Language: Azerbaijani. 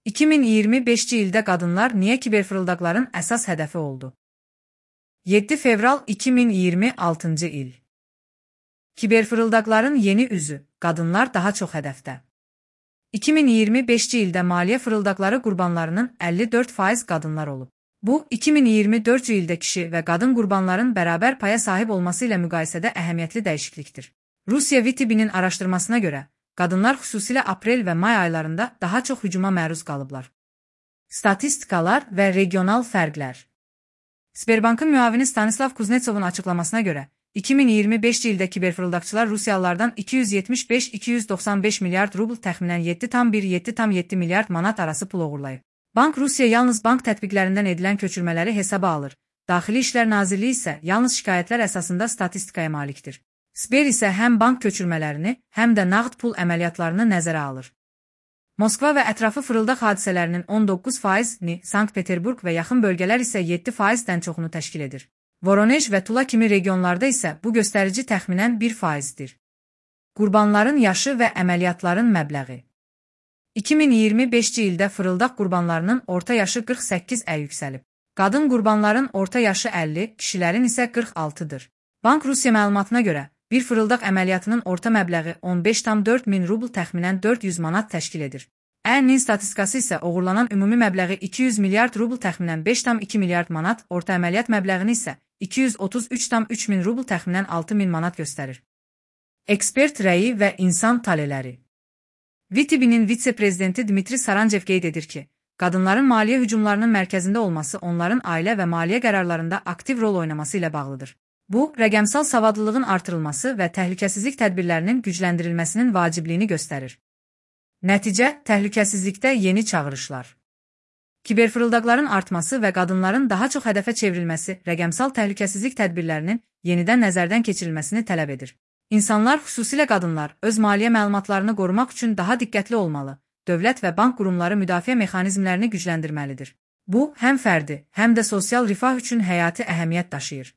2025-ci ildə qadınlar niyə kiberfırıldaqların əsas hədəfi oldu? 7 fevral 2026-cı il. Kiberfırıldaqların yeni üzü, qadınlar daha çox hədəfdə. 2025-ci ildə maliyyə fırıldaqları qurbanlarının 54% qadınlar olub. Bu, 2024-cü ildə kişi və qadın qurbanların bərabər paya sahib olması ilə müqayisədə əhəmiyyətli dəyişiklikdir. Rusiya VTB-nin araşdırmasına görə, qadınlar xüsusilə aprel və may aylarında daha çox hücuma məruz qalıblar. Statistikalar və regional fərqlər. Sberbankın müavini Stanislav Kuznetsovun açıqlamasına görə, 2025-ci ildə kiberfırıldaqçılar Rusiyalılardan 275-295 milyard rubl təxminən 7,7 milyard manat arası pul oğurlayıb. Bank Rusiya yalnız bank tətbiqlərindən edilən köçürmələri hesaba alır. Daxili İşlər Nazirliyi isə yalnız şikayətlər əsasında statistikaya malikdir. Sber isə həm bank köçürmələrini, həm də nağd pul əməliyyatlarını nəzərə alır. Moskva və ətrafı fırıldaq hadisələrinin 19%-ni, Sankt-Peterburg və yaxın bölgələr isə 7%-dən çoxunu təşkil edir. Voronej və Tula kimi regionlarda isə bu göstərici təxminən 1%-dir. Qurbanların yaşı və əməliyyatların məbləği. 2025-ci ildə fırıldaq qurbanlarının orta yaşı 48-ə yüksəlib. Qadın qurbanların orta yaşı 50, kişilərin isə 46-dır. Bank Rusiya məlumatına görə, bir fırıldaq əməliyyatının orta məbləği 15,4 min rubl təxminən 400 manat təşkil edir. Ən statistikası isə oğurlanan ümumi məbləği 200 milyard rubl təxminən 5,2 milyard manat, orta əməliyyat məbləğini isə 233,3 min rubl təxminən 6 min manat göstərir. Ekspert rəyi və insan taleləri. VTB-nin vitse-prezidenti Dmitri Saranjev qeyd edir ki, qadınların maliyyə hücumlarının mərkəzində olması onların ailə və maliyyə qərarlarında aktiv rol oynaması ilə bağlıdır. Bu, rəqəmsal savadlılığın artırılması və təhlükəsizlik tədbirlərinin gücləndirilməsinin vacibliyini göstərir. Nəticə, təhlükəsizlikdə yeni çağırışlar. Kiberfırıldaqların artması və qadınların daha çox hədəfə çevrilməsi rəqəmsal təhlükəsizlik tədbirlərinin yenidən nəzərdən keçirilməsini tələb edir. İnsanlar, xüsusilə qadınlar, öz maliyyə məlumatlarını qorumaq üçün daha diqqətli olmalı, dövlət və bank qurumları müdafiə mexanizmlərini gücləndirməlidir. Bu, həm fərdi, həm də sosial rifah üçün həyati əhəmiyyət daşıyır.